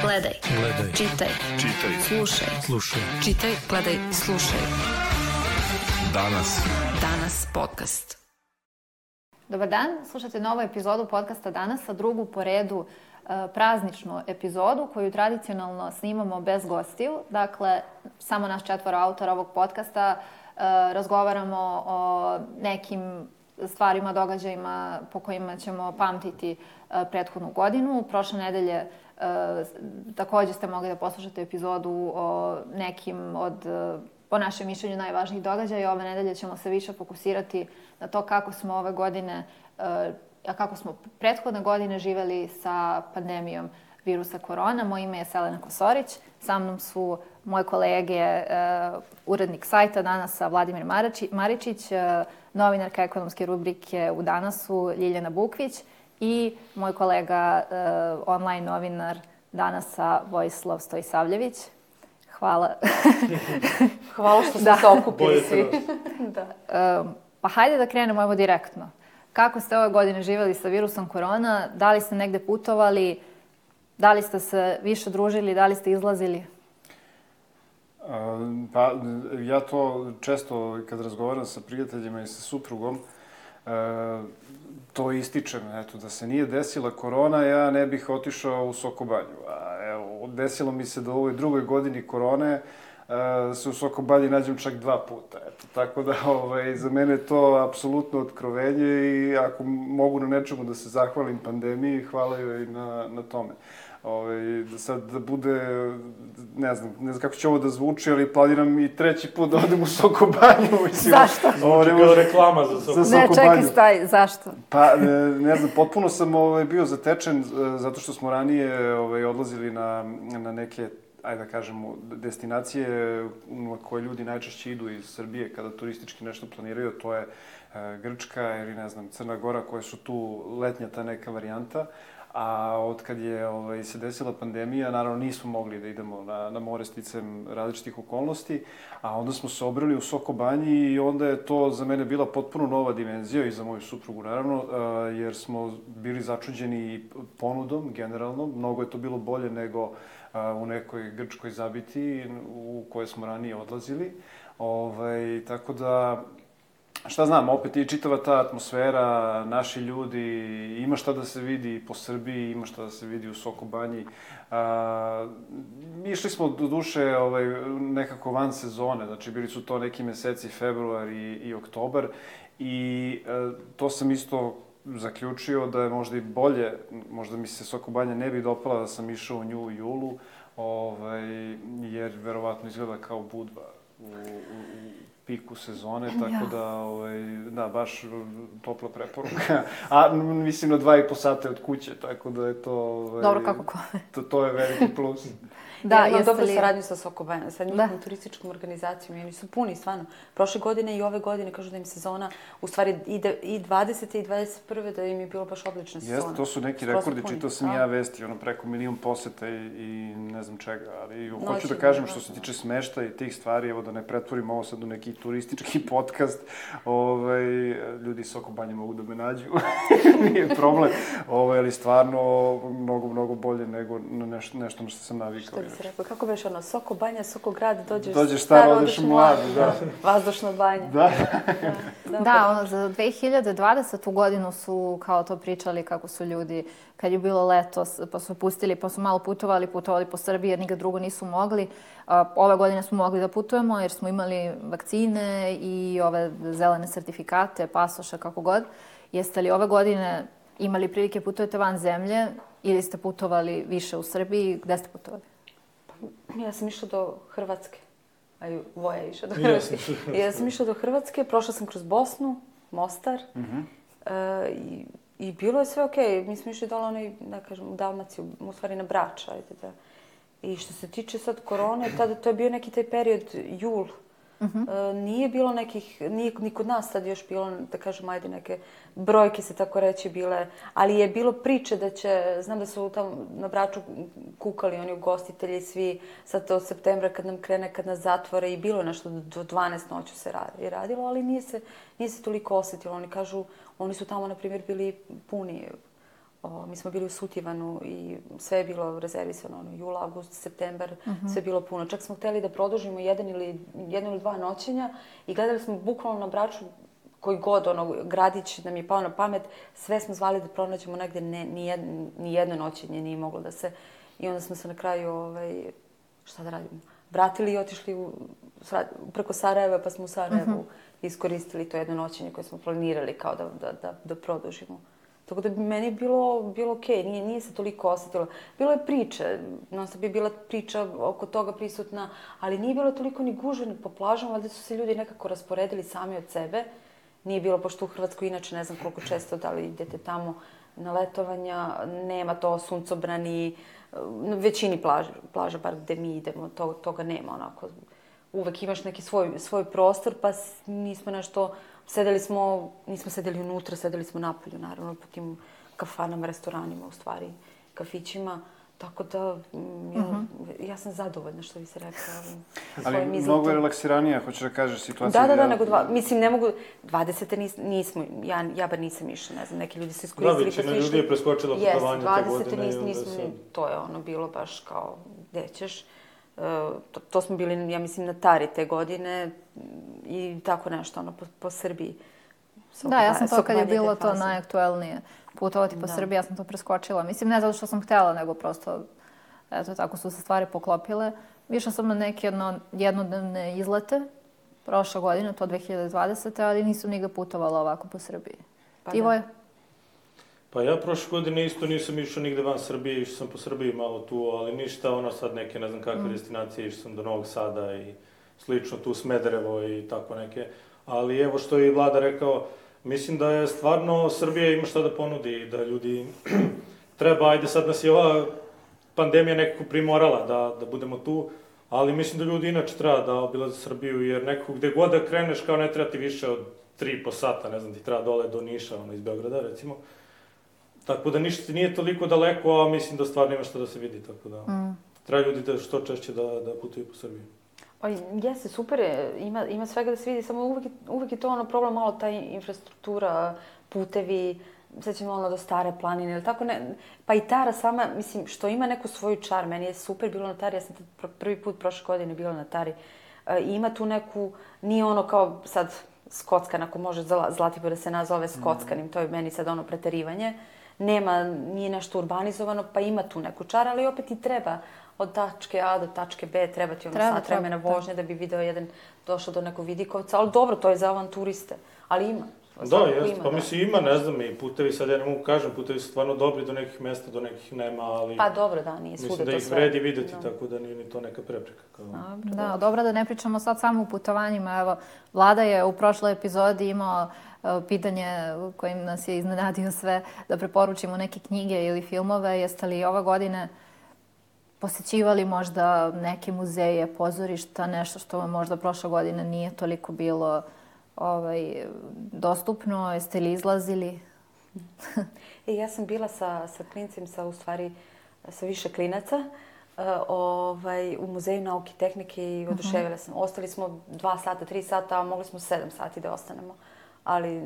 Gledaj. Čitaj. Slušaj. Čitaj, gledaj, slušaj. Danas podcast. Dobar dan, slušate novu epizodu podcasta Danas, a drugu po redu prazničnu epizodu koju tradicionalno snimamo bez gostiju. Dakle, samo naš 4 autora ovog podcasta razgovaramo o nekim stvarima, događajima po kojima ćemo pamtiti prethodnu godinu. Prošle nedelje također ste mogli da poslušate epizodu o nekim od, po našem mišljenju, najvažnijih događaja. Ove nedelje ćemo se više fokusirati na to kako smo ove godine, kako smo prethodne godine živeli sa pandemijom virusa korona. Moje ime je Selena Kosorić. Sa mnom su moje kolege, urednik sajta Danasa Vladimir Maričić, novinarka ekonomske rubrike u Danasu Ljiljana Bukvić i moj kolega, online novinar Danasa Vojislav Stojisavljević. Hvala. Hvala što ste se okupili svi. Pa hajde da krenemo evo direktno. Kako ste ove godine živjeli sa virusom korona? Da li ste negde putovali? Da li ste se više družili? Da li ste izlazili? Pa ja to često kad razgovaram sa prijateljima i sa suprugom, to ističem. Eto, da se nije desila korona, ja ne bih otišao u Sokobanju. A evo, desilo mi se da u ovoj drugoj godini korone se u Sokobanji nađem čak 2 puta. Eto, tako da za mene je to apsolutno otkrovenje i ako mogu na nečemu da se zahvalim pandemiji, hvala joj na tome. Da sad da bude, ne znam kako će ovo da zvuči, ali planiram i 3. put da odem u Sokobanju. Zašto? Ovo ne može reklama za Sokobanju. Ne, čekaj, staj, zašto? Pa, ne znam, potpuno sam bio zatečen zato što smo ranije odlazili na neke, ajde da kažemo, destinacije na koje ljudi najčešće idu iz Srbije kada turistički nešto planiraju. To je Grčka ili, ne znam, Crna Gora, koje su tu letnja ta neka varijanta. A od kad je se desila pandemija, naravno nismo mogli da idemo na more sticam različitih okolnosti, a onda smo se obrali u Sokobanji i onda je to za mene bila potpuno nova dimenzija i za moju suprugu, naravno, jer smo bili začuđeni ponudom, generalno. Mnogo je to bilo bolje nego u nekoj grčkoj zabiti u kojoj smo ranije odlazili. Tako da, šta znam, opet i čitava ta atmosfera, naši ljudi, ima šta da se vidi po Srbiji, ima šta da se vidi u Sokobanji. Išli smo do duše nekako van sezone, znači bili su to neki meseci, februar i oktobar, i to sam isto zaključio da je možda i bolje, možda mi se Sokobanja ne bi dopala da sam išao u nju u julu, jer verovatno izgleda kao Budva u piku sezone, tako da, baš topla preporuka. A mislim na 2,5 sata od kuće, tako da je to... Dobro, kako kome. To je veliki plus. Da, imam dobru saradnju sa Sokobanjom, sa njihovom turističkom organizacijom i oni su puni, stvarno. Prošle godine i ove godine kažu da im sezona, u stvari i 20. i 21. da im je bilo baš odlična sezona. Jeste, to su neki rekordi, čitao sam ja vesti, preko 1 milion poseta i ne znam čega, ali hoću da kažem što se tiče smešta i tih stvari, evo da ne pretvorim ovo sad u neki turistički podcast, ljudi iz Sokobanje mogu da me nađu, nije problem, ali stvarno mnogo bolje nego nešto na što sam navikao. Kako beš Sokobanja, Sokograd, dođeš star, odeš mlad, da. Vazdušna banja. Da, za 2020. godinu su kao to pričali kako su ljudi, kad je bilo leto, pa su pustili, pa su malo putovali po Srbiji jer nikad drugo nisu mogli. Ove godine smo mogli da putujemo jer smo imali vakcine i ove zelene sertifikate, pasoša, kako god. Jeste li ove godine imali prilike putujete van zemlje ili ste putovali više u Srbiji? Gde ste putovali? Ja sam išla do Hrvatske. Voja je išla do Hrvatske. Ja sam išla do Hrvatske, prošla sam kroz Bosnu, Mostar. I bilo je sve okej. Mi smo išli dole u Dalmaciju, u stvari na Brač. I što se tiče sad korone, tada to je bio neki taj period, jul. Nije bilo nekih, nije ni kod nas sad još bilo, da kažem, ajde neke brojke se tako reći bile, ali je bilo priče da će, znam da su tamo na Braču kukali oni ugostitelji svi, sad od septembra kad nam krene, kad nas zatvore i bilo je nešto do 12 noću se radilo, ali nije se toliko osjetilo. Oni kažu, oni su tamo, na primjer, bili puni Mi smo bili u Sutivanu i sve je bilo rezervisano, jul, avgust, septembar, sve je bilo puno. Čak smo hteli da produžimo jedno ili dva noćenja i gledali smo bukvalno na Braču koji god, gradić nam je pao na pamet, sve smo zvali da pronađemo negde, ni jedno noćenje nije moglo da se... I onda smo se na kraju, šta da radimo, vratili i otišli preko Sarajeva, pa smo u Sarajevu iskoristili to jedno noćenje koje smo planirali kao da produžimo. Tako da bi meni bilo okej, nije se toliko osetilo. Bilo je priče, non-stop je bila priča oko toga prisutna, ali nije bilo toliko ni gužve po plažama, valjda su se ljudi nekako rasporedili sami od sebe. Nije bilo, pošto u Hrvatskoj inače ne znam koliko često da li idete tamo na letovanja, nema to suncobrani, na većini plaža, bar gde mi idemo, toga nema onako. Uvek imaš neki svoj prostor, pa nismo nešto... nismo sedeli unutra, sedeli smo napolju, naravno, po tim kafanama, restoranima, u stvari, kafićima. Tako da, ja sam zadovoljna, što bi se rekla. Ali mnogo je relaksiranija, hoćeš da kažeš, situacija... Da, nego mislim, ne mogu... 20. nismo, ja bar nisam išla, ne znam, neki ljudi su iskoristili pa su išli. Da, većina ljudi je preskočila putovanje te godine. 20. nismo, to je bilo baš kao, gde ćeš. To smo bili, ja mislim, na Tari te godine i tako nešto, po Srbiji. Da, ja sam to kad je bilo to najaktuelnije putovati po Srbiji, ja sam to preskočila. Mislim, ne zato što sam htjela, nego prosto, eto, tako su se stvari poklopile. Išla sam na neke jednodnevne izlete prošle godine, to 2020. ali nisam nigde putovala ovako po Srbiji. Ti, Voja? Pa ja prošle godine isto nisam išao nigde van Srbije, išao sam po Srbiji malo tu, ali ništa, sad neke, ne znam kakve destinacije, išao sam do Novog Sada i slično, tu Smederevo i tako neke. Ali evo što je i Vlada rekao, mislim da je stvarno Srbija ima šta da ponudi i da ljudi treba, ajde sad nas je ova pandemija nekako primorala da budemo tu, ali mislim da ljudi inače treba da obilaze Srbiju, jer nekako gde god da kreneš kao ne treba ti više od 3,5 sata, ne znam, ti treba dole do Niša, iz Beograda recimo. Tako da ništa nije toliko daleko, a mislim da stvarno ima što da se vidi, tako da treba ljudi da što češće da putuju po Srbiji. Pa jeste, super je, ima svega da se vidi, samo uvek je to problem, malo ta infrastruktura, putevi, sećamo do Stare planine ili tako, pa i Tara sama, mislim, što ima neku svoju čar, meni je super bilo na Tari, ja sam prvi put prošle godine bila na Tari, i ima tu neku, nije kao sad Skockan, ako može Zlatibor da se nazove Skockanim, to je meni sad preterivanje, nije nešto urbanizovano, pa ima tu neku čar, ali opet i treba od tačke A do tačke B, treba ti sat vremena vožnje da bi video došao do nekog vidikovca, ali dobro, to je za avanturiste, ali ima. Da, jeste, pa mislim ima, ne znam, i putevi, sad ja ne mogu kažem, putevi su stvarno dobri do nekih mesta, do nekih nema, ali... Pa dobro, da, nije svuda to sve. Mislim da ih vredi videti, tako da nije ni to neka prepreka. Da, dobro da ne pričamo sad samo o putovanjima, evo, Vlada je u prošloj epizodi imao pitanje kojim nas je iznenadio sve, da preporučimo neke knjige ili filmove. Jeste li ove godine posećivali možda neke muzeje, pozorišta, nešto što vam možda prošle godine nije toliko bilo dostupno? Jeste li izlazili? Ja sam bila sa klincem, sa više klinaca, u Muzeju nauke i tehnike i oduševila sam. Ostali smo 2 sata, 3 sata, a mogli smo 7 sati da ostanemo. Ali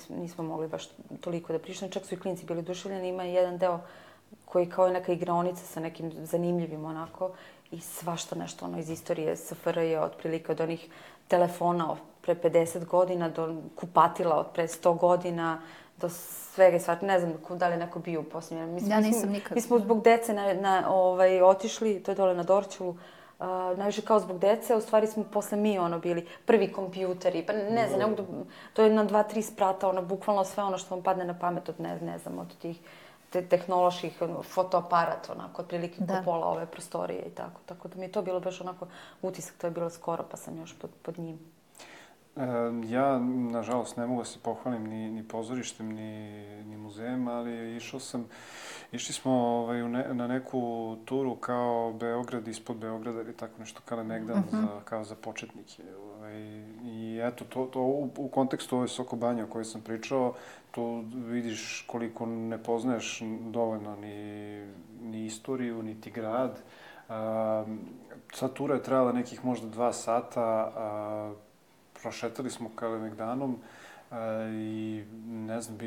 nismo mogli baš toliko da prišli. Čak su i klinci bili oduševljeni. Ima jedan deo koji kao je neka igraonica sa nekim zanimljivim onako i svašta nešto iz istorije SFRJ, otprilike od onih telefona pre 50 godina do kupatila od pre 100 godina, do svega i svača. Ne znam da li je neko bio u posljednje. Ja nisam nikad. Mi smo zbog dece otišli, to je dole na Dorćolu, najviše kao zbog dece, u stvari smo posle mi bili prvi kompjuteri, pa ne znam, to je na 2-3 sprata, bukvalno sve ono što vam padne na pamet od, ne znam, od tih tehnoloških fotoaparat, onako, otprilike ko pola ove prostorije i tako. Tako da mi je to bilo baš onako utisak, to je bilo skoro, pa sam još pod njim. Ja, nažalost, ne mogu da se pohvalim ni pozorištem, ni muzejem, ali išli smo na neku turu kao Beograd ispod Beograda ili tako nešto Kalemegdan kao za početnike. I eto, to u kontekstu ove Soko Banje o kojoj sam pričao, tu vidiš koliko ne poznaješ dovoljno ni istoriju, niti grad. Sva tura je trajala nekih možda 2 sata, prošetali smo Kalemegdanom I ne znam,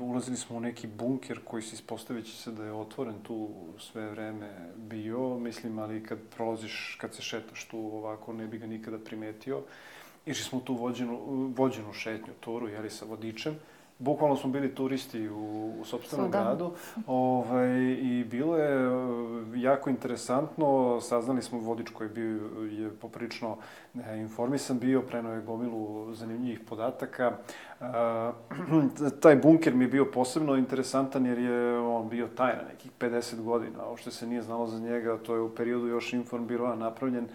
ulazili smo u neki bunker koji se ispostavit će se da je otvoren tu sve vreme bio, mislim, ali kad prolaziš, kad se šetaš tu ovako, ne bi ga nikada primetio. Išli smo tu vođenu šetnju, turu, jeli, sa vodičem. Bukvalno smo bili turisti u sopstvenom gradu i bilo je jako interesantno. Saznali smo, vodič koji je poprilično informisan bio, preneo je gomilu zanimljivih podataka. Taj bunker mi je bio posebno interesantan jer je on bio tajna nekih 50 godina. Uopšte se nije znalo za njega, to je u periodu još Informbiroa napravljen,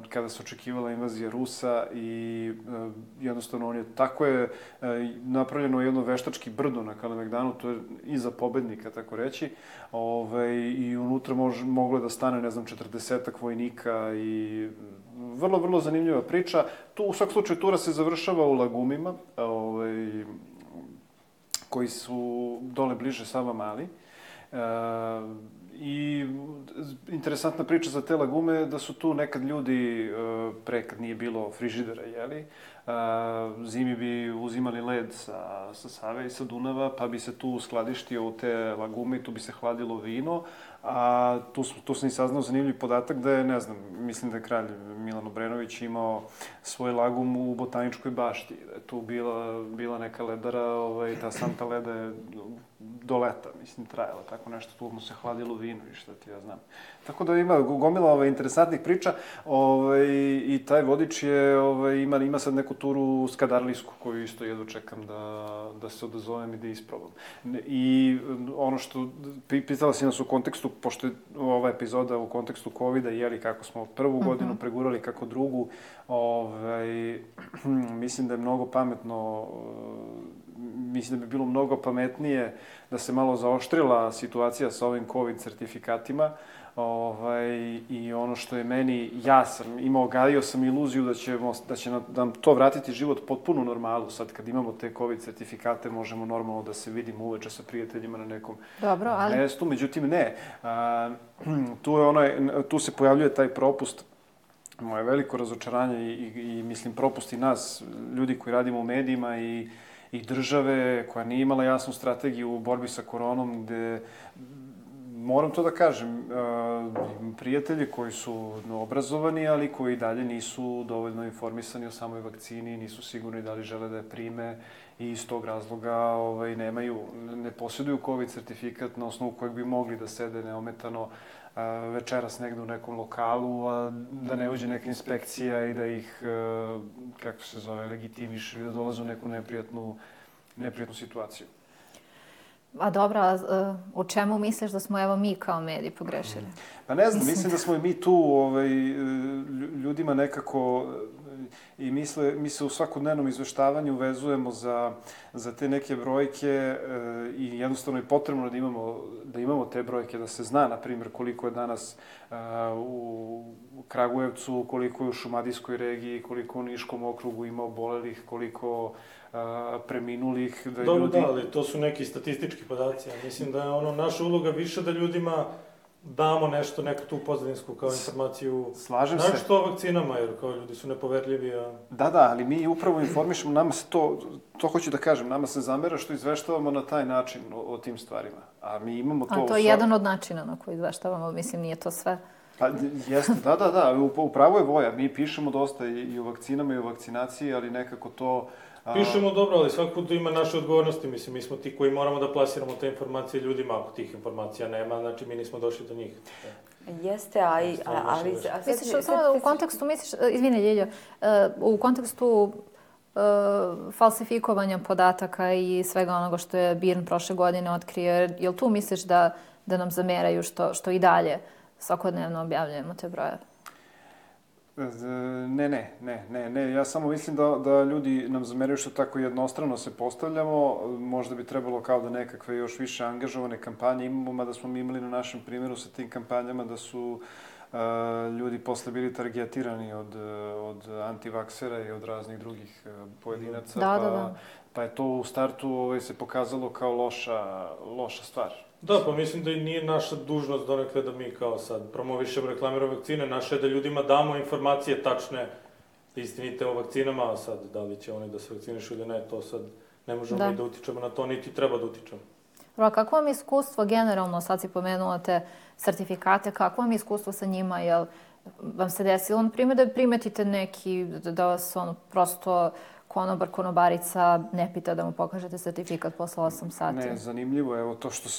kada se očekivala invazija Rusa i jednostavno on je, tako je napravljeno jedno veštački brdo na Kalemegdanu, to je iza pobednika, tako reći, i unutra moglo da stane, ne znam, 40-ak vojnika i vrlo, vrlo zanimljiva priča. Tu, u svakom slučaju, tura se završava u Lagumima, koji su dole bliže Savamali. I interesantna priča za te lagume je da su tu nekad ljudi, pre kad nije bilo frižidera, jeli, zimi bi uzimali led sa Save i sa Dunava, pa bi se tu skladištio u te lagume i tu bi se hladilo vino, a tu sam i saznao zanimljiv podatak da je, ne znam, mislim da je kralj Milan Obrenović imao svoj lagum u Botaničkoj bašti, da je tu bila neka ledara, ta Santa Leda je do leta, mislim, trajala tako nešto, tu mu se hladilo vino i šta ti ja znam. Tako da ima gomila interesantnih priča i taj vodič ima sad neku turu Skadarlijsku koju isto jedno čekam da se odazovem i da isprobam. I ono što pitala si nas u kontekstu, pošto je ova epizoda u kontekstu COVID-a, jeli kako smo prvu godinu pregurali, kako drugu, mislim da je mnogo pametno, mislim da bi bilo mnogo pametnije da se malo zaoštrila situacija sa ovim COVID sertifikatima. I ono što je meni, gajio sam iluziju da će nam to vratiti život potpuno normalu. Sad kad imamo te COVID sertifikate možemo normalno da se vidimo uveče sa prijateljima na nekom mestu. Međutim, ne. Tu se pojavljuje taj propust. Moje veliko razočaranje i mislim propust i nas, ljudi koji radimo u medijima i države koja nije imala jasnu strategiju u borbi sa koronom, gde, moram to da kažem, prijatelji koji su obrazovani, ali koji dalje nisu dovoljno informisani o samoj vakcini, nisu sigurni da li žele da je prime i iz tog razloga ne posjeduju COVID sertifikat na osnovu kojeg bi mogli da sede neometano večeras negde u nekom lokalu, a da ne uđe neka inspekcija i da ih, kako se zove, legitimiše ili da dolaze u neku neprijatnu situaciju. A dobro, u čemu misliš da smo evo mi kao mediji pogrešili? Pa ne znam, mislim da smo i mi tu ljudima nekako i mi se u svakodnevnom izveštavanju vezujemo za te neke brojke i jednostavno je potrebno da imamo te brojke, da se zna, na primjer, koliko je danas u Kragujevcu, koliko je u Šumadijskoj regiji, koliko u Niškom okrugu ima obolelih, koliko preminulih. Dobro, da, ali to su neki statistički podaci. Ja mislim da je naša uloga više da ljudima damo nešto, neku tu pozadinsku kao informaciju. Slažem se. Nešto o vakcinama, jer kao ljudi su nepoverljivi, a... Da, ali mi upravo informišemo, nama se to hoću da kažem, nama se zamera što izveštavamo na taj način o tim stvarima. A mi imamo to... A to je jedan od načina na koji izveštavamo, mislim, nije to sve. Pa, jeste, da, upravo je Voja. Mi pišemo dosta i o vakcinama i o vakcinaciji, ali nekako to... Pišemo dobro, ali svaki put ima naše odgovornosti. Mislim, mi smo ti koji moramo da plasiramo te informacije ljudima. Ako tih informacija nema, znači mi nismo došli do njih. Jeste, ali... Misliš, samo u kontekstu, izvini Ljiljo, u kontekstu falsifikovanja podataka i svega onoga što je BIRN prošle godine otkrio, jel tu misliš da nam zameraju što i dalje svakodnevno objavljujemo te brojeve? Ne. Ja samo mislim da ljudi nam zameraju što tako jednostrano se postavljamo. Možda bi trebalo kao da nekakve još više angažovane kampanje imamo, mada smo mi imali na našem primjeru sa tim kampanjama da su ljudi posle bili targetirani od antivaksera i od raznih drugih pojedinaca. Da. Pa je to u startu se pokazalo kao loša stvar. Da, pa mislim da i nije naša dužnost donekle da mi kao sad promovišemo, reklamiramo vakcine. Naše je da ljudima damo informacije tačne istinite o vakcinama, a sad da li će oni da se vakcinišu ili ne, to sad ne možemo mi da utičemo na to, niti treba da utičemo. Kako vam je iskustvo generalno, sad si pomenula te sertifikate, kako vam je iskustvo sa njima, jel vam se desilo, na primjer, da primetite neki, da vas prosto konobar, konobarica ne pita da mu pokažete sertifikat posle 8 sati? Ne, zanimljivo je, evo to što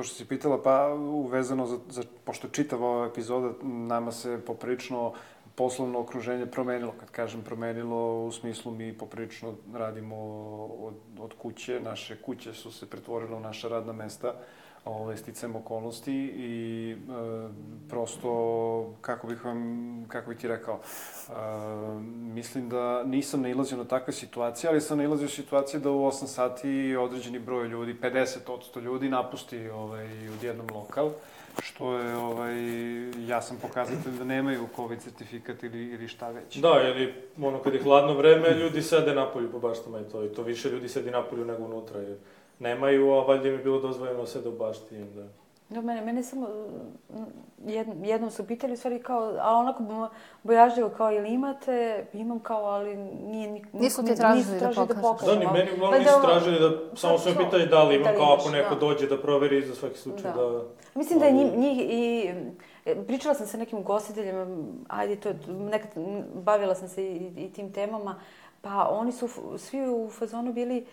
si pitala, pa uvezano pošto čitava ova epizoda, nama se poprilično poslovno okruženje promenilo. Kad kažem promenilo, u smislu mi poprilično radimo od kuće. Naše kuće su se pretvorile u naša radna mesta, sticajem okolnosti i prosto, kako bih ti rekao, mislim da nisam nailazio na takve situacije, ali sam nailazio situacije da u 8 sati određeni broj ljudi, 50% ljudi, napusti odjednom lokal, što je jasan pokazatelj da nemaju COVID certifikat ili šta već. Da, ili kad je hladno vreme, ljudi sede napolju po baštama i to više ljudi sedi napolju nego unutra, jer nemaju, a valjda im je bilo dozvoljeno da sede u bašti. Da, mene samo jednom su pitali, u stvari kao, ali onako bojažljivo kao, ili imate, imam kao, ali nisu ti tražili da pokažeš. Da, ni meni uglavnom nisu tražili da, samo su me pitali da li imam, kao ako neko dođe da proveri za svaki slučaj da... Mislim da je njih i... Pričala sam sa nekim ugostiteljima, nekad bavila sam se i tim temama, pa oni su svi u fazonu bili,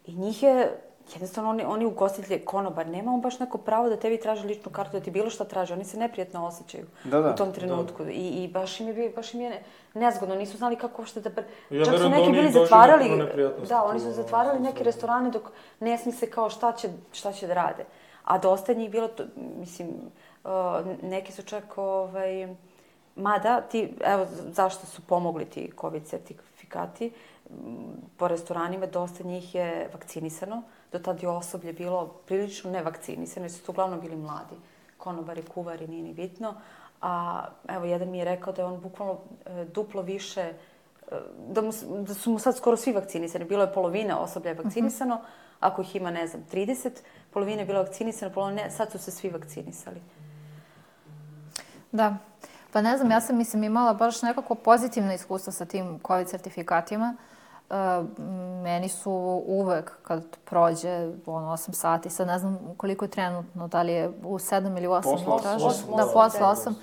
i njih je, jednostavno oni ugostitelji, konobar, nema on baš neko pravo da tebi traži ličnu kartu, da ti bilo šta traži, oni se neprijatno osjećaju u tom trenutku. I baš im je nezgodno, nisu znali kako uopšte da... Čak su neki bili zatvarali, oni su zatvarali neke restorane dok ne smisle kao šta će da rade. A dosta njih bilo, mislim, neki su čak, mada, evo zašto su pomogli ti COVID certifikati, po restoranima dosta njih je vakcinisano, do tada je osoblje bilo prilično nevakcinisano, jer su to uglavnom bili mladi, konobari, kuvari, nije ni bitno. A evo, jedan mi je rekao da je on bukvalno duplo više, da su mu sad skoro svi vakcinisani, bilo je polovina osoblja je vakcinisano, ako ih ima, ne znam, 30, polovina je bila vakcinisana, polovina ne, sad su se svi vakcinisali. Da, pa ne znam, ja sam imala baš nekako pozitivno iskustvo sa tim COVID certifikatima. Meni su uvek, kad prođe 8 sati, sad ne znam koliko je trenutno, da li je u 7 ili 8 mi traže. Da,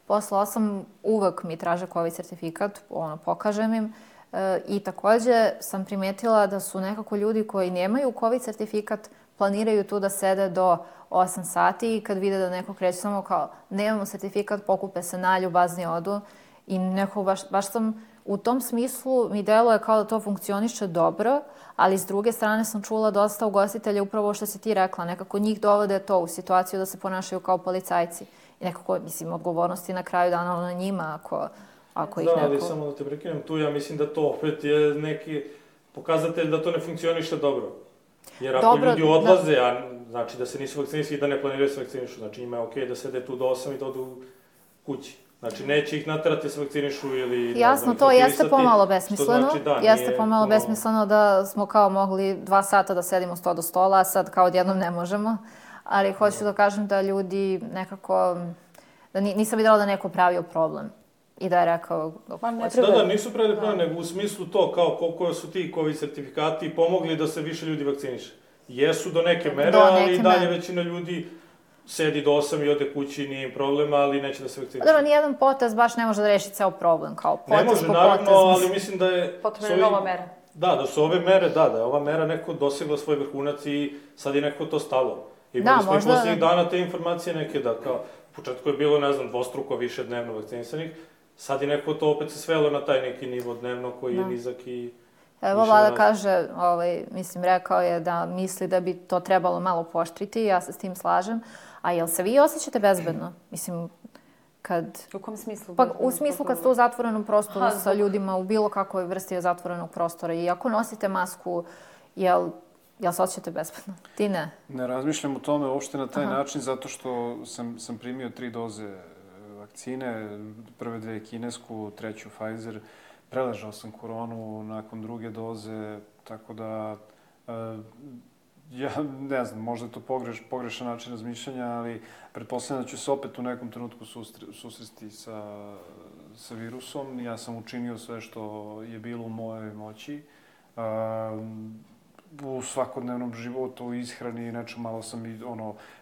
posle 8 uvek mi traže COVID certifikat, pokažem im. I takođe sam primetila da su nekako ljudi koji nemaju COVID certifikat, planiraju tu da sede do 8 sati i kad vide da neko kreće samo kao nemamo certifikat, pokupe se, nalju, bazni odu. I nekako baš sam u tom smislu mi deluje kao da to funkcioniše dobro, ali s druge strane sam čula dosta ugostitelja upravo što si ti rekla, nekako njih dovode to u situaciju da se ponašaju kao policajci. I nekako, mislim, odgovornosti na kraju dana na njima ako ih neko... Da, ali samo da te prekinem tu, ja mislim da to opet je neki pokazatelj da to ne funkcioniše dobro. Jer ako ljudi odlaze, a znači da se nisu vakcinisali i da ne planiraju se vakcinišu, znači njima je okej da sede tu do 8 i da odu kući. Znači, neće ih naterati se vakcinišu ili... Jasno, to jeste pomalo besmisleno. Jeste pomalo besmisleno da smo kao mogli 2 sata da sedimo sto do stola, a sad kao odjednom ne možemo. Ali hoću da kažem da ljudi nekako... Da nisam videla da neko pravio problem. I da je rekao... Da, nisu pravili problem, nego u smislu to kao koliko su ti COVID certifikati pomogli da se više ljudi vakciniše. Jesu do neke mere, ali i dalje većina ljudi sedi do 8 i ode kući, nije im problema, ali neće da se vakciniše. Dobro, nijedan potez baš ne može da reši ceo problem, kao potez po potez. Ne može, naravno, ali mislim da je... Potrebna je nova mera. Da su ove mere, da je ova mera neko dosegla svoj vrhunac i sad je neko to stalo. Imali smo i poslednjih dana te informacije neke da kao, u početku je bilo, ne znam, dvostruko više dnevno vakcinisanih, sad je neko to opet se svelo na taj neki nivo dnevno koji je nizak i... Evo, Vlada kaže, mislim, rekao je da misli da bi to trebalo malo pooštriti, ja se s tim slažem. A jel se vi osjećate bezbedno? Mislim, kad... U kom smislu? Pa u smislu kad ste u zatvorenom prostoru sa ljudima u bilo kakvoj vrsti zatvorenog prostora i ako nosite masku, jel se osjećate bezbedno? Ti ne? Ne razmišljam o tome uopšte na taj način zato što sam primio 3 doze vakcine, prve 2 kinesku, 3 Pfizer. Preležao sam koronu nakon 2. doze, tako da ja ne znam, možda je to pogrešan način razmišljanja, ali pretpostavljam da ću se opet u nekom trenutku susresti sa virusom. Ja sam učinio sve što je bilo u mojoj moći. U svakodnevnom životu, u ishrani, nečem malo sam i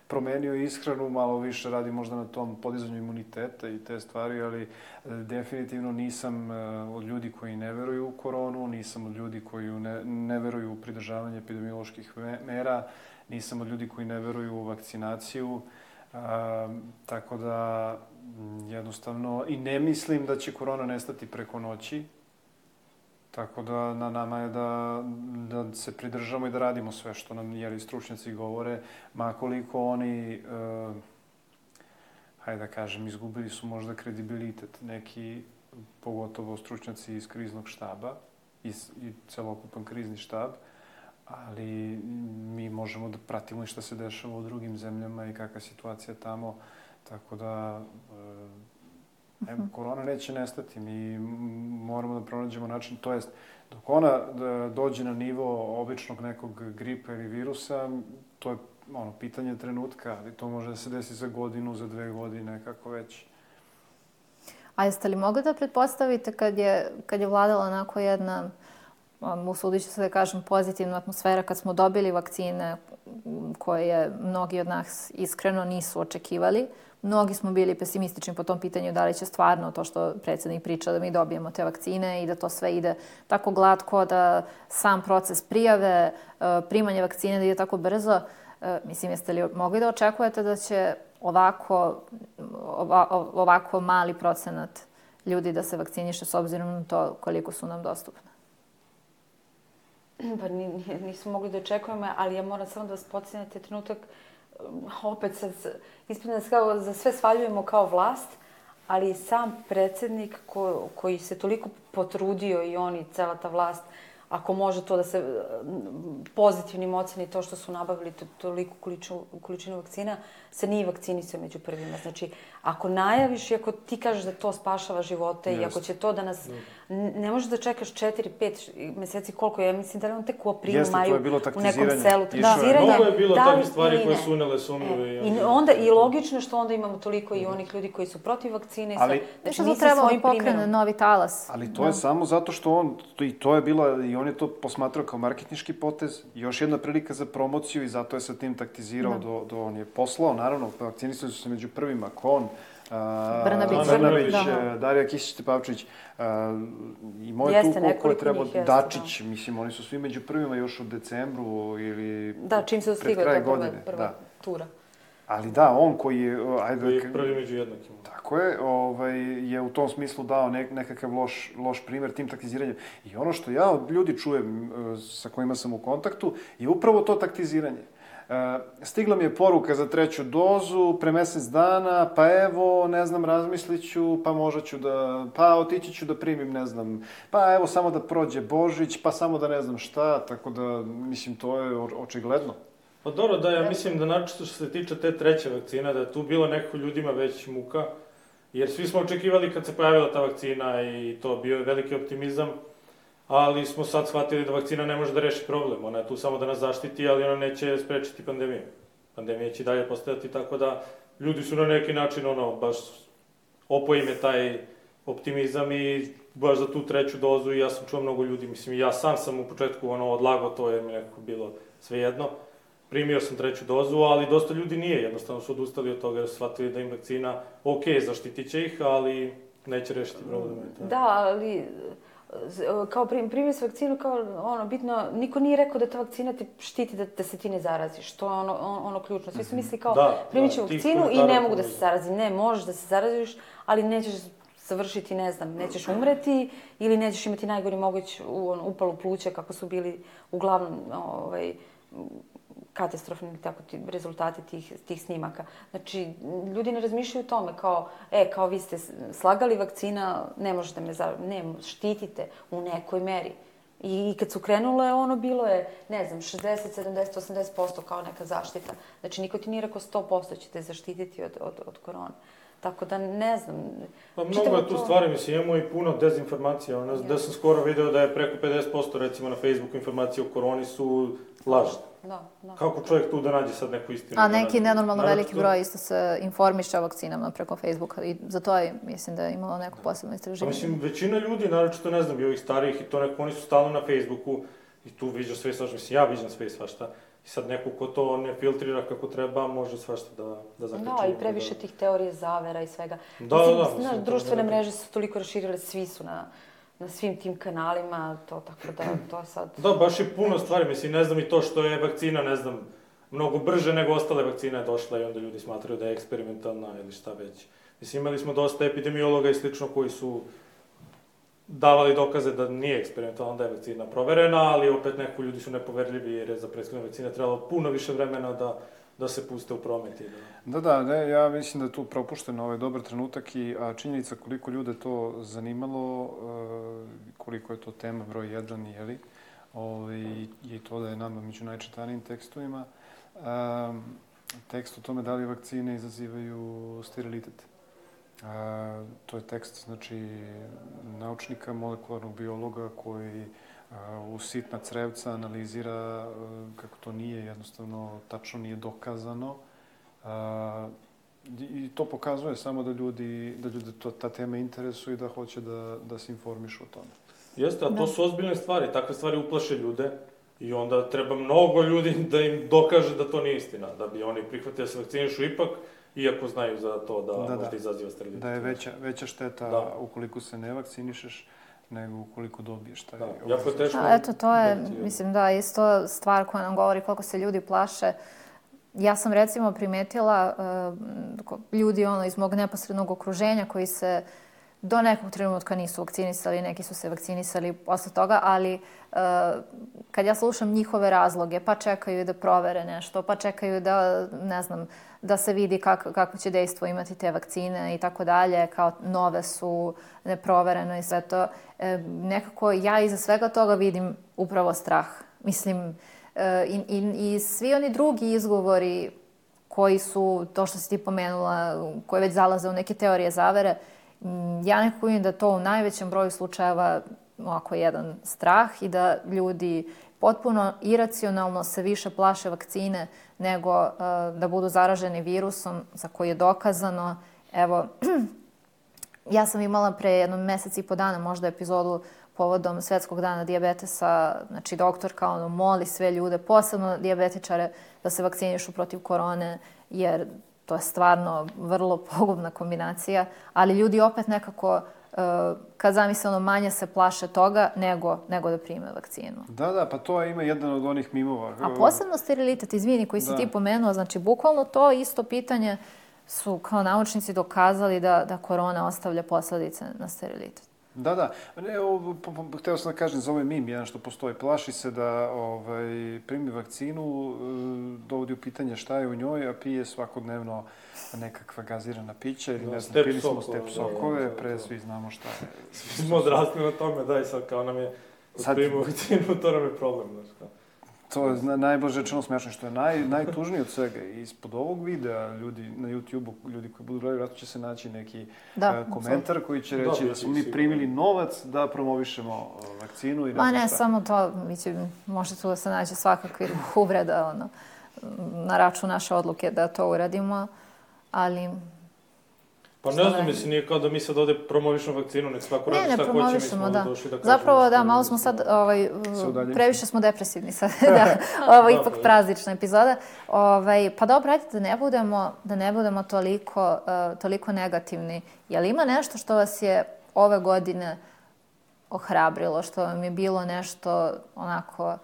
promenio ishranu, malo više radi možda na tom podizanju imuniteta i te stvari, ali definitivno nisam od ljudi koji ne veruju u koronu, nisam od ljudi koji ne veruju u pridržavanje epidemioloških mera, nisam od ljudi koji ne veruju u vakcinaciju, tako da jednostavno i ne mislim da će korona nestati preko noći. Tako da na nama je da se pridržamo i da radimo sve što nam stručnjaci govore, makoliko oni, hajde da kažem, izgubili su možda kredibilitet neki, pogotovo stručnjaci iz kriznog štaba i celokupan krizni štab, ali mi možemo da pratimo i šta se dešava u drugim zemljama i kakva je situacija tamo, tako da korona neće nestati. Mi moramo da pronađemo način, to jest, dok ona dođe na nivo običnog nekog gripa ili virusa, to je pitanje trenutka, ali to može da se desi za godinu, za 2 godine, kako već. A jeste li mogli da pretpostavite kad je vladala onako jedna, usudit ću se da kažem, pozitivna atmosfera, kad smo dobili vakcine koje mnogi od nas iskreno nisu očekivali? Mnogi smo bili pesimistični po tom pitanju da li će stvarno to što predsjednik priča da mi dobijemo te vakcine i da to sve ide tako glatko, da sam proces prijave, primanje vakcine da ide tako brzo. Mislim, jeste li mogli da očekujete da će ovako mali procenat ljudi da se vakciniše s obzirom na to koliko su nam dostupne? Pa nismo mogli da očekujemo, ali ja moram samo da vas podsjetim na trenutak. Opet sad, ispravno da za sve svaljujemo kao vlast, ali sam predsjednik koji se toliko potrudio i on i cela ta vlast, ako može to da se pozitivnim oceni to što su nabavili toliku količinu vakcina, se nije vakcinisao među prvima. Znači, ako najaviš i ako ti kažeš da to spašava živote i ako će to da nas... Ne možeš da čekaš 4-5 meseci koliko je, mislim da li on tek u aprilu, maju u nekom selu. Mnogo je bilo takve stvari koje su unele sumnjive. I logično što onda imamo toliko i onih ljudi koji su protiv vakcine. Znači, to trebalo pokrene novi talas. Ali to je samo zato što on, i to je bilo, i on je to posmatrao kao marketinški potez, još jedna prilika za promociju i zato je sa tim taktizirao on je poslao, naravno, vakcinisali su se među prvima, Kon, Brnabić, Darija Kisić-Tepavčević i moje tu koje treba, Dačić, mislim, oni su svi među prvima još u decembru ili pred kraj godine. Prva tura. Ali da, on koji je... Koji je prvi među jednakima. Tako je u tom smislu dao nekakav loš primjer tim taktiziranjem. I ono što ja od ljudi čujem sa kojima sam u kontaktu je upravo to taktiziranje. Stigla mi je poruka za 3. dozu pre mesec dana, pa evo, ne znam, razmislit ću, pa možda ću da, pa otići ću da primim, ne znam, pa evo samo da prođe Božić, pa samo da ne znam šta, tako da, mislim, to je očigledno. Pa dobro, da, ja mislim da načisto što se tiče te 3. vakcine, da je tu bilo nekako ljudima već muka, jer svi smo očekivali kad se pojavila ta vakcina i to bio je veliki optimizam, ali smo sad shvatili da vakcina ne može da reši problem. Ona je tu samo da nas zaštiti, ali ona neće sprečiti pandemiju. Pandemija će dalje postojati, tako da ljudi su na neki način, baš opoji me taj optimizam i baš za tu 3. dozu i ja sam čuo mnogo ljudi. Mislim, ja sam u početku odlagao to jer mi nekako bilo svejedno. Primio sam 3. dozu, ali dosta ljudi nije. Jednostavno su odustali od toga jer su shvatili da im vakcina zaštitit će ih, ali neće rešiti probleme. Da, ali kao primio se vakcinu, kao bitno, niko nije rekao da ta vakcina te štiti da se ti ne zaraziš. To je ono ključno. Svi su mislili kao primit ću vakcinu i ne mogu da se zarazim. Ne, možeš da se zaraziš, ali nećeš završiti, ne znam, nećeš umreti ili nećeš imati najgori moguć upalu pluća kako su bili uglavnom katastrofni rezultati tih snimaka. Znači, ljudi ne razmišljaju o tome kao vi ste slagali vakcina, ne možete me štitite u nekoj meri. I kad su krenule, bilo je, ne znam, 60, 70, 80% kao neka zaštita. Znači, niko ti nije rekao 100% ćete zaštititi od korona. Tako da, ne znam... Pa mnogo je tu stvari, mislim, imamo i puno dezinformacija. Da sam skoro video da je preko 50%, recimo, na Facebooku informacije o koroni su lažne. Da. Kako čovjek tu da nađe sad neku istinu? A neki nenormalno veliki broj isto se informiše o vakcinama preko Facebooka i za to je, mislim da je imalo neko posebno istraživanje. Mislim, većina ljudi, naročito ne znam, i ovih starijih i to neko, oni su stalno na Facebooku i tu viđa sve svašta. Mislim, ja viđam sve svašta. I sad neko ko to ne filtrira kako treba, može svašta da zakače. Da, i previše tih teorije zavera i svega. Da. Znaš, društvene mreže su toliko raširile, svi su na svim tim kanalima, to tako da, to sad... Da, baš je puno stvari, mislim, ne znam i to što je vakcina, ne znam, mnogo brže nego ostale vakcine je došla i onda ljudi smatraju da je eksperimentalna ili šta već. Mislim, imali smo dosta epidemiologa i slično koji su davali dokaze da nije eksperimentalna, da je vakcina proverena, ali opet neko ljudi su nepoverljivi jer je za prethodne vakcine trebalo puno više vremena da se puste u promet. Ja mislim da je tu propušten ovaj dobar trenutak a činjenica koliko ljude to zanimalo, koliko je to tema broj 1, jeli, i to da je nama među najčitanijim tekstovima. Tekst o tome da li vakcine izazivaju sterilitet. To je tekst, znači, naučnika, molekularnog biologa koji u sitna crevca analizira kako to nije, jednostavno, tačno nije dokazano. I to pokazuje samo da ljude ta tema interesuje i da hoće da se informišu o tome. Jeste, a to su ozbiljne stvari. Takve stvari uplaše ljude i onda treba mnogo ljudi da im dokaže da to nije istina, da bi oni prihvatili da se vakcinišu ipak, iako znaju za to da možda izaziva sterilitet. Da je veća šteta ukoliko se ne vakcinišeš nego ukoliko dobiješ taj... Jako je teško. Eto, to je, mislim da, isto stvar koja nam govori koliko se ljudi plaše. Ja sam recimo primetila ljudi iz mog neposrednog okruženja koji se do nekog trenutka nisu vakcinisali, neki su se vakcinisali posle toga, ali kad ja slušam njihove razloge, pa čekaju da provere nešto, pa čekaju da, ne znam, da se vidi kako će dejstvo imati te vakcine i tako dalje, kao nove su, neprovereno i sve to. Nekako ja iza svega toga vidim upravo strah. Mislim, i svi oni drugi izgovori koji su, to što si ti pomenula, koji već zalaze u neke teorije zavere, ja nekako vidim da to u najvećem broju slučajeva ovako jedan strah i da ljudi potpuno iracionalno se više plaše vakcine nego da budu zaraženi virusom za koji je dokazano. Evo, ja sam imala pre jedno mesec i po dana možda epizodu povodom Svetskog dana dijabetesa. Znači, doktorka moli sve ljude, posebno dijabetičare, da se vakcinišu protiv korone, jer to je stvarno vrlo pogubna kombinacija, ali ljudi opet nekako, kad zamisle manje se plaše toga nego da prime vakcinu. Da, pa to ima jedan od onih mimova. A posebno sterilitet, izvini, koji si ti pomenuo, znači bukvalno to isto pitanje su kao naučnici dokazali da korona ostavlja posledice na sterilitet. Da. Hteo sam da kažem za ovaj mim, jedan što postoji. Plaši se da primi vakcinu, dovodi u pitanje šta je u njoj, a pije svakodnevno nekakva gazirana pića ili ne znam, pili smo step sokove, pre svi znamo šta je. Svi smo odrasli na tome, i sad kao nam je primimo vakcinu, to nam je problem, znaš kao. To je najbolje rečeno smešno, što je najtužnije od svega. Ispod ovog videa, ljudi na YouTube-u, ljudi koji budu gledali, vratno će se naći neki komentar koji će reći da smo mi primili novac da promovišemo vakcinu i ne znam šta. Ma ne, samo to, može tu da se nađe svakakvih uvreda na račun naše odluke da to uradimo, ali... Pa ne znam, mislim, nije kao da mi sad ovde promovišemo vakcinu, nek svako radi šta hoće, mi smo ovde došli da kažemo. Zapravo, da, malo smo sad, previše smo depresivni sad, ovo je ipak praznična epizoda. Pa dobro, ajde da ne budemo toliko negativni. Je li ima nešto što vas je ove godine ohrabrilo, što vam je bilo nešto onako,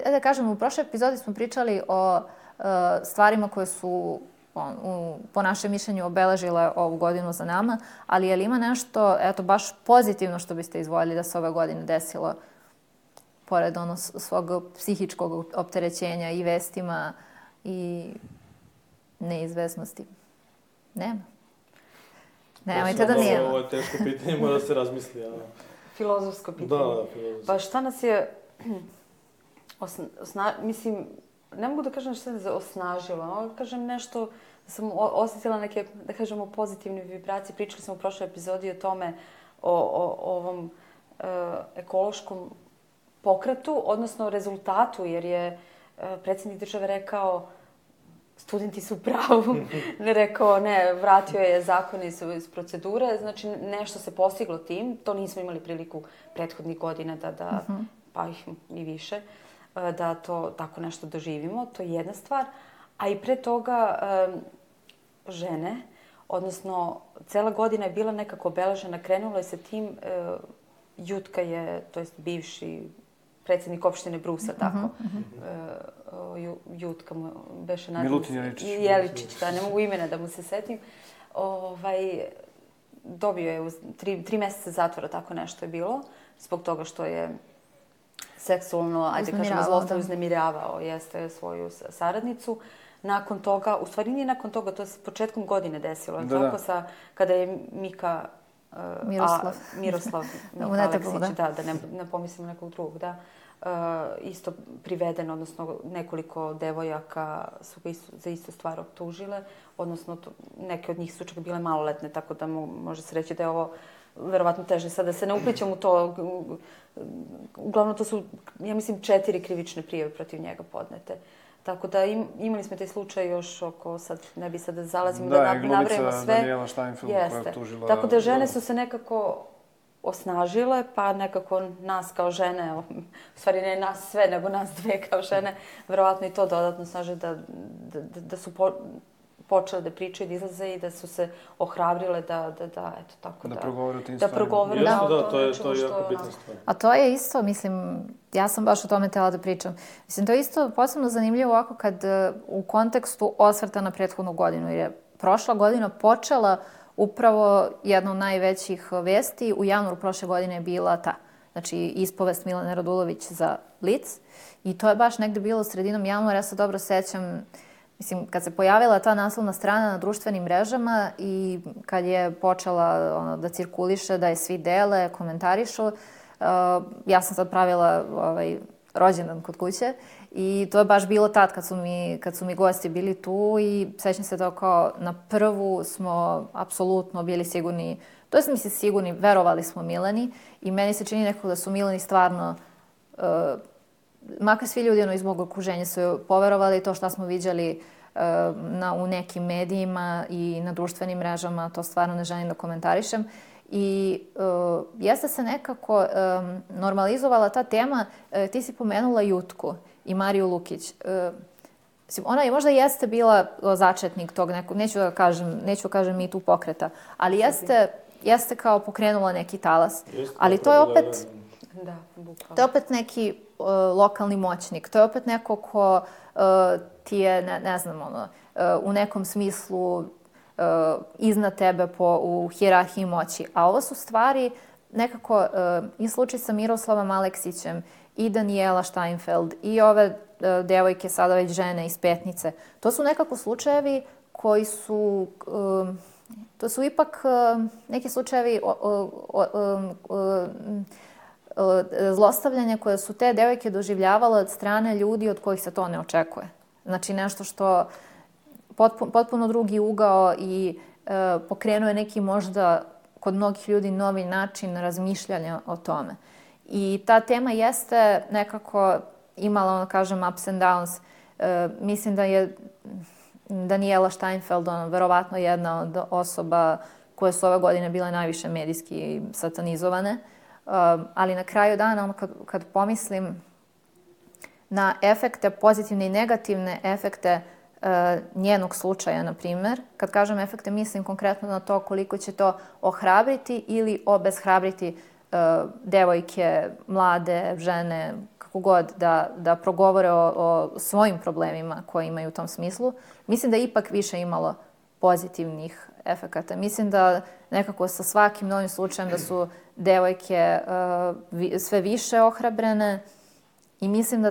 da kažem, u prošloj epizodi smo pričali o stvarima koje su po našem mišljenju obeležile ovu godinu za nama, ali je li ima nešto, baš pozitivno što biste izvoljeli da se ove godine desilo, pored svog psihičkog opterećenja i vestima i neizvesnosti? Nema. Nemojte da nema. Ovo je teško pitanje, mora da se razmisli. Filozofsko pitanje. Da, filozofsko. Pa šta nas je, mislim, ne mogu da kažem što se osnažilo, no kažem nešto da sam osjetila neke, da kažemo, pozitivne vibracije. Pričali smo u prošloj epizodi o tome, o ovom ekološkom pokretu, odnosno rezultatu, jer je predsjednik države rekao studenti su u pravu. Rekao, ne, vratio je zakon iz procedure. Znači, nešto se postiglo tim. To nismo imali priliku prethodnih godina pa i više, da to tako nešto doživimo. To je jedna stvar. A i pre toga žene, odnosno cela godina je bila nekako obeležena. Krenulo je sa tim, Jutka je, to jest bivši predsjednik opštine Brusel, tako. Jutka mu beše naziv. Milutin Jeličić, da, ne mogu imena da mu se setim. Dobio je 3 meseca zatvora, tako nešto je bilo, zbog toga što je seksualno, zlostavljano uznemiravao svoju saradnicu. Nakon toga, u stvari nije nakon toga, to se početkom godine desilo, tako kada je Miroslav Aleksić, da ne pomislimo nekog drugog, da, isto priveden, odnosno nekoliko devojaka su ga za istu stvar optužile, odnosno neke od njih su čak bile maloletne, tako da može se reći da je ovo verovatno teže. Sad da se ne uplićem u to, uglavnom to su, ja mislim, 4 krivične prijave protiv njega podnete. Tako da imali smo taj slučaj još oko, sad ne bi sad da zalazimo, da nabrajemo sve. Da, i glumica Danijela Steinfeld koja je optužila... Tako da žene su se nekako osnažile, pa nekako nas kao žene, u stvari ne nas sve, nego nas dve kao žene, verovatno i to dodatno snaže da su počele da pričaju, da izlaze i da su se ohrabrile da eto tako da progovore o tim stvarima. Da progovore o to nečemu što je jako bitna stvar. A to je isto, mislim, ja sam baš o tome htjela da pričam. Mislim, to je isto posebno zanimljivo ovako kad u kontekstu osvrta na prethodnu godinu, jer je prošla godina počela upravo jedna od najvećih vesti. U januaru prošle godine je bila ta, znači ispovest Milane Radulović za Blic. I to je baš negde bilo sredinom januara, ja se dobro sećam. Mislim, kad se pojavila ta naslovna strana na društvenim mrežama i kad je počela da cirkuliše, da je svi dele, komentarišu, ja sam sad pravila rođendan kod kuće i to je baš bilo tad kad su mi gosti bili tu i sećam se da kao na prvu smo apsolutno bili sigurni, to jest mislim sigurni, verovali smo Milani i meni se čini nekako da su Milani stvarno makar svi ljudi iz mog okruženja su poverovali to što smo viđali u nekim medijima i na društvenim mrežama, to stvarno ne želim da komentarišem. I jeste se nekako normalizovala ta tema. Ti si pomenula Jutku i Mariju Lukić. Ona je možda jeste bila začetnik tog nekog, neću kažem mi tu pokreta, ali jeste kao pokrenula neki talas. Ali to je opet... To je opet neki lokalni moćnik. To je opet neko ko ti je, ne znam, u nekom smislu iznad tebe u hijerarhiji moći. A ovo su stvari nekako i slučaj sa Miroslavom Aleksićem i Danijela Steinfeld i ove devojke, sada već žene iz Petnice. To su nekako slučajevi koji su... To su ipak neki slučajevi zlostavljanja koje su te devojke doživljavale od strane ljudi od kojih se to ne očekuje. Znači nešto što potpuno drugi ugao i pokrenuo je neki možda kod mnogih ljudi novi način razmišljanja o tome. I ta tema jeste nekako imala, kažem, ups and downs. Mislim da je Danijela Steinfeld verovatno jedna od osoba koje su ove godine bile najviše medijski satanizovane. Ali na kraju dana, kad pomislim na efekte, pozitivne i negativne efekte njenog slučaja, na primjer, kad kažem efekte, mislim konkretno na to koliko će to ohrabriti ili obeshrabriti devojke, mlade, žene, kako god, da progovore o svojim problemima koje imaju u tom smislu. Mislim da je ipak više imalo pozitivnih efekata. Mislim da nekako sa svakim novim slučajem da su devojke sve više ohrabrene i mislim da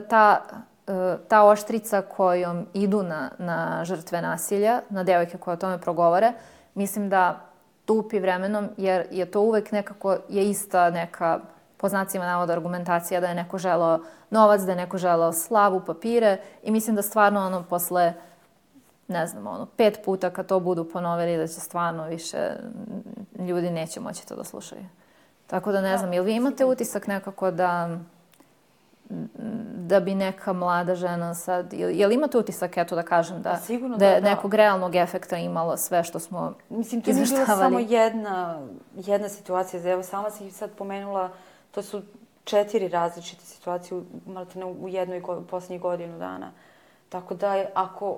ta oštrica kojom idu na žrtve nasilja, na devojke koje o tome progovore, mislim da tupi vremenom jer je to uvek nekako je ista neka, po znacima navoda, argumentacija da je neko želeo novac, da je neko želeo slavu, papire i mislim da stvarno posle, ne znam, 5 puta kad to budu ponovili da će stvarno više ljudi neće moći to da slušaju. Tako da ne znam, jel vi imate utisak nekako da da bi neka mlada žena sad... Jel imate utisak, eto da kažem, da je nekog realnog efekta imalo sve što smo izveštavali? Mislim, to nije bila samo jedna situacija. Evo, sama si sad pomenula, to su 4 različite situacije u jednoj posljednjih godinu dana. Tako da,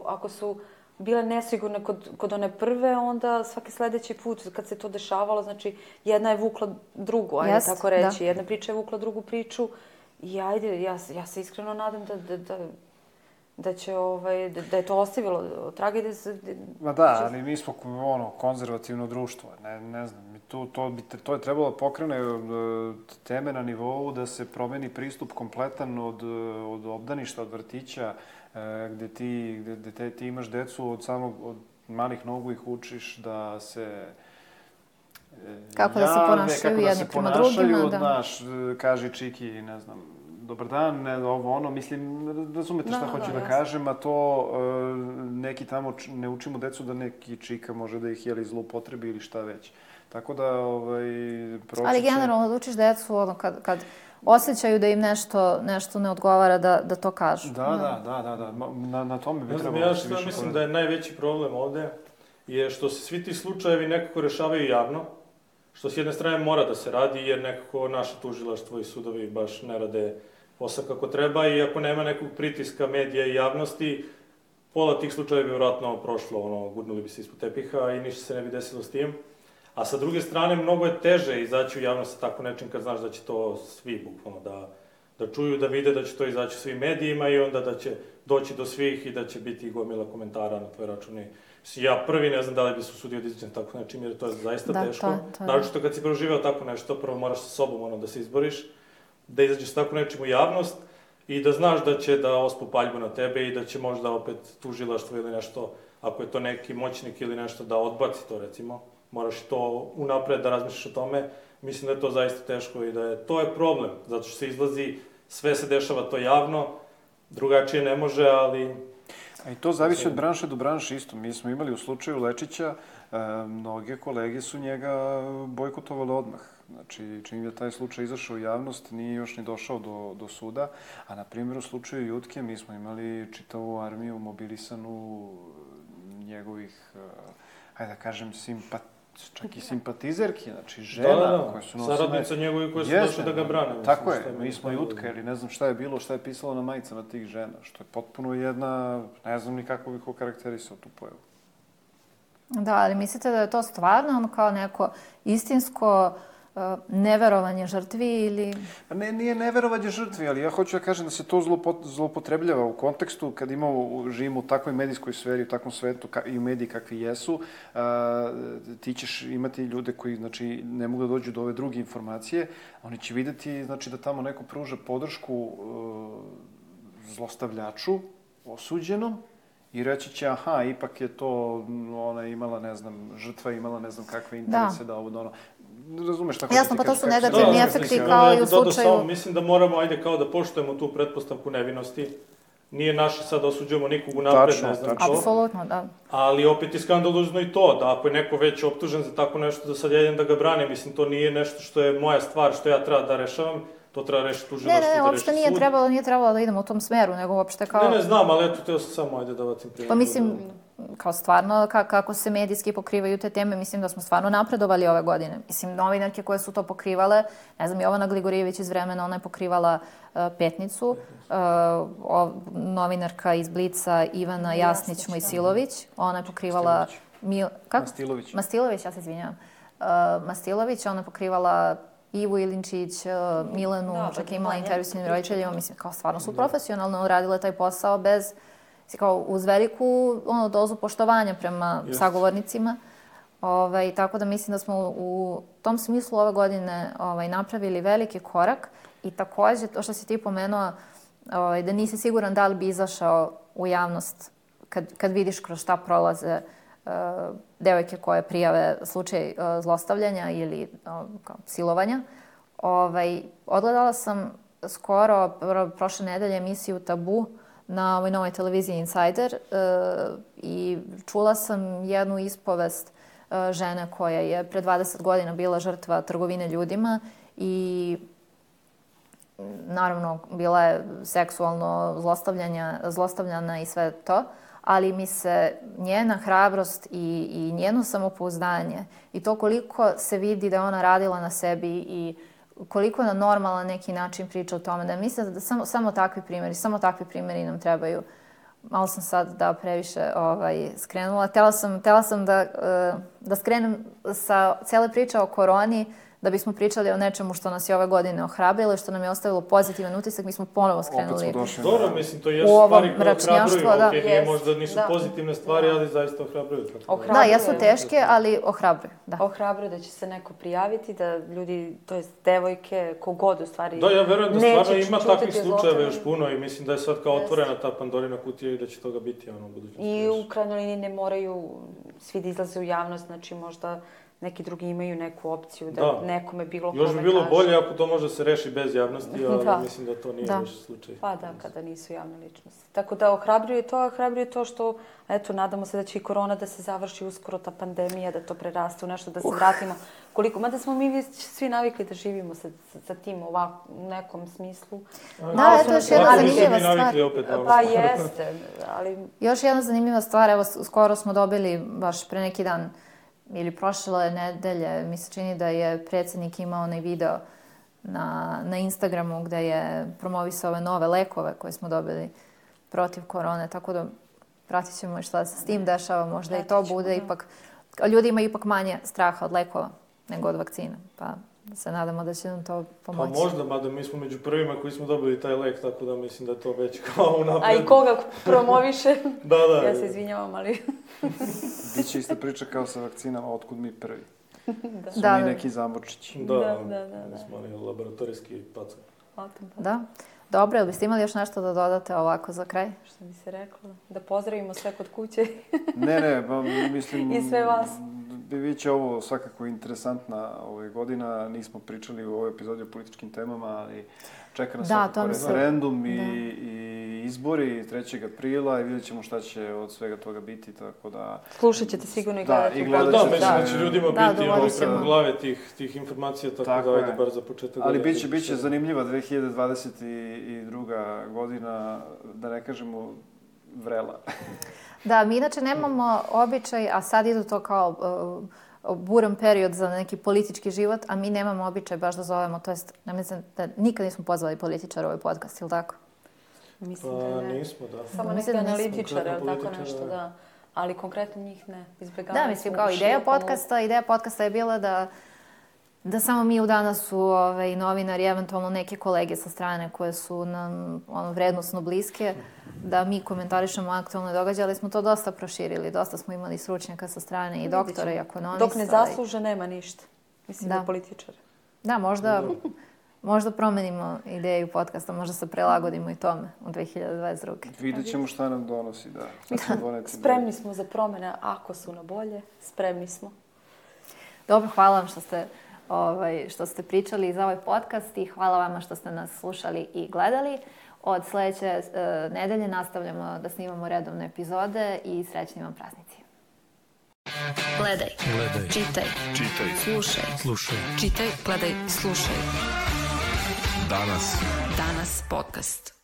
ako su bile nesigurne kod one prve, onda svaki sljedeći put kad se to dešavalo, znači jedna je vukla drugu, ajde tako reći. Jedna priča je vukla drugu priču i ajde, ja se iskreno nadam da je to ostavilo tragedije. Ma da, ali mi smo konzervativno društvo, ne znam. To je trebalo pokrene teme na nivou da se promeni pristup kompletan od obdaništa, od vrtića, gde ti imaš decu od malih nogu ih učiš da se kako da se ponašaju jedni prema drugima, da. Znaš, kaži čiki, ne znam, dobar dan, ovo ono, mislim, razumete šta hoću da kažem, a to neki tamo ne učimo decu da neki čika može da ih zloupotrebi ili šta već. Tako da, ali generalno da učiš decu, kad osjećaju da im nešto ne odgovara, da to kažu. Da. Na tome bi trebalo ja što mislim da je najveći problem ovde je što se svi ti slučajevi nekako rešavaju javno, što s jedne strane mora da se radi jer nekako naše tužilaštvo i sudovi baš ne rade posao kako treba i ako nema nekog pritiska medija i javnosti, pola tih slučajeva bi vjerojatno prošlo, gurnuli bi se ispod tepiha i ništa se ne bi desilo s tim. A sa druge strane, mnogo je teže izaći u javnost sa tako nečim kad znaš da će to svi bukvalno da čuju, da vide da će to izaći svim medijima i onda da će doći do svih i da će biti gomila komentara na tvoj račun. Ja prvi ne znam da li bi se usudio da izađem tako nečim jer to je zaista teško. Naročito kad si proživeo tako nešto, prvo moraš sa sobom da se izboriš, da izađeš tako nečim u javnost i da znaš da će da ospu paljbu na tebe i da će možda opet tužilaštvo ili nešto, ako je to neki moćnik ili nešto, da odbaci to recimo. Moraš to unapred da razmišljaš o tome. Mislim da je to zaista teško i to je problem, zato što se izlazi, sve se dešava to javno, drugačije ne može, ali... A i to zavisi od branše do branše isto. Mi smo imali u slučaju Lečića, mnoge kolege su njega bojkotovali odmah. Znači, čim je taj slučaj izašao u javnost, nije još ni došao do suda. A, na primjer, u slučaju Jutke mi smo imali čitavu armiju mobilisanu njegovih, hajde da kažem, čak i simpatizerki, znači žena koje su nosile... Saradnica njegovi koje su došle da ga brane. Tako je, mi smo Jutka ili ne znam šta je bilo, šta je pisalo na majicama tih žena, što je potpuno jedna, ne znam ni kako bih okarakterisao tu pojavu. Da, ali mislite da je to stvarno kao neko istinsko neverovanje žrtvi ili... Nije neverovanje žrtvi, ali ja hoću da kažem da se to zloupotrebljava u kontekstu kad živimo u takvoj medijskoj sferi, u takvom svetu i u mediji kakvi jesu, ti ćeš imati ljude koji znači, ne mogu da dođu do ove druge informacije, oni će vidjeti znači, da tamo neko pruža podršku zlostavljaču, osuđenom, i reći će, aha, ipak je to, ona imala, ne znam, žrtva imala ne znam kakve interese da ovo, ono, razumeš tako jasno, pa to su negativni efekti kao i u slučaju... Mislim da moramo, ajde, kao da poštujemo tu pretpostavku nevinosti. Nije naše sad da osuđujemo nikog unapred, ne znam što. Apsolutno, da. Ali opet je skandalozno i to, da ako je neko već optužen za tako nešto, da sad ja idem da ga branim. Mislim, to nije nešto što je moja stvar, što ja treba da rešavam. To treba rešiti tužilaštvo, da reši sud. Ne, uopšte nije trebalo da idemo u tom smeru, nego uopšte kao... Ne, znam, ali eto, teo sam samo, ajde da vacim primjer. Pa mislim, kao stvarno, kako se medijski pokrivaju te teme, mislim da smo stvarno napredovali ove godine. Mislim, novinarke koje su to pokrivale, ne znam, Jovana Gligorijević iz Vremena, ona je pokrivala Petnicu, novinarka iz Blica Ivana Jasnić-Mojsilović, ona je pokrivala... Mastilović, ja se izvinjavam. Mastilović, ona je pokrivala Ivu Ilinčić, Milenu, čak je imala intervju s njim roditeljima, mislim, kao stvarno su profesionalno radile taj posao bez, kao uz veliku dozu poštovanja prema sagovornicima. Tako da mislim da smo u tom smislu ove godine napravili veliki korak i također, to što si ti pomenuo, da nisi siguran da li bi izašao u javnost kad vidiš kroz šta prolaze devojke koje prijave slučaj zlostavljanja ili silovanja. Odgledala sam skoro prošle nedelje emisiju Tabu na ovoj novoj televiziji Insider i čula sam jednu ispovest žene koja je pre 20 godina bila žrtva trgovine ljudima i naravno bila je seksualno zlostavljana i sve to, ali mi se njena hrabrost i njeno samopouzdanje i to koliko se vidi da je ona radila na sebi i koliko na normalan neki način priča o tome, da mislim da samo takvi primjeri nam trebaju. Malo sam sad previše skrenula. Htjela sam da skrenem sa cijele priče o koroni, da bismo pričali o nečemu što nas je ove godine ohrabrilo i što nam je ostavilo pozitivan utisak. Mi smo ponovo skrenuli dobro, mislim, to je stvari koje ohrabruju. Nije možda nisu pozitivne stvari, ali zaista ohrabruju. Da, jesu teške, ali ohrabruju. Ohrabruju da će se neko prijaviti, da ljudi, to jest devojke, kogod u stvari da, ja verujem da stvarno ima takvih slučajeva još puno i mislim da je sad kao otvorena ta Pandorina kutija i da će toga biti u budućnosti. I u krajnjoj liniji ne moraju svi da izlaze u javnost, znači možda neki drugi imaju neku opciju da nekome bilo kome kaže. Još bi bilo bolje ako to može se reši bez javnosti, ali mislim da to nije baš slučaj. Pa da, kada nisu javne ličnosti. Tako da ohrabruje to što, eto, nadamo se da će i korona da se završi uskoro, ta pandemija, da to preraste u nešto, da se vratimo. Mada smo mi svi navikli da živimo sa tim ovako, u nekom smislu. Da, to je još jedna zanimljiva stvar. Pa jeste, ali... Još jedna zanimljiva stvar, evo, skoro smo dobili, baš pre neki dan, ili prošle nedelje, mi se čini da je predsjednik imao onaj video na Instagramu gdje je promovisao ove nove lekove koje smo dobili protiv korone, tako da pratit ćemo šta se s tim dešava, možda i to bude ipak, ljudi imaju ipak manje straha od lekova nego od vakcina, pa se nadamo da će nam to pomoći. Pa možda, mada mi smo među prvima koji smo dobili taj lek, tako da mislim da je to već kao unapred. A i koga promoviše? Da. Ja se izvinjavam, ali... Biće ista priča kao sa vakcinama, otkud mi prvi. Da. Mi neki zamorčići. Da. Smo oni laboratorijski pacan. Da. Dobro, jel biste imali još nešto da dodate ovako za kraj? Što bi se reklo? Da pozdravimo sve kod kuće. Ne, mislim... I sve vas. Biće ovo svakako interesantna godina. Nismo pričali u ovoj epizodi o političkim temama, ali čeka nas svakako referendum i izbori 3. aprila i vidjet ćemo šta će od svega toga biti, tako da... Slušat ćete sigurno i gledati. Da, mislim da će ljudima biti u glave tih informacija, tako da ajde bar za početak. Ali biće zanimljiva 2022. godina, da ne kažemo vrela. Da, mi inače nemamo običaj, a sad idu to kao buran period za neki politički život, a mi nemamo običaj baš da zovemo, to jest, ja mislim da nikad nismo pozvali političara u ovaj podcast, ili tako? Mislim da ne. Nismo, da. Samo neki analitičare, ali tako nešto, da. Ali konkretno njih ne, izbjegavamo. Da, mislim, kao ideja podcasta je bila da samo mi u danas su novinari, eventualno neke kolege sa strane koje su nam vrednostno bliske, da mi komentarišemo aktualne događaje, ali smo to dosta proširili. Dosta smo imali stručnjaka sa strane i doktora i ekonomista. Dok ne zasluže, nema ništa. Mislim da političar. Da, možda promenimo ideju podcasta, možda se prilagodimo i tome u 2022. Vidjet ćemo šta nam donosi, da. Spremni smo za promjene, ako su na bolje, spremni smo. Dobro, hvala vam što ste pričali za ovaj podcast i hvala vama što ste nas slušali i gledali. Od sljedeće nedelje nastavljamo da snimamo redovne epizode i srećni vam praznici. Gledaj. Čitaj. Slušaj. Čitaj, gledaj, slušaj. Danas podcast.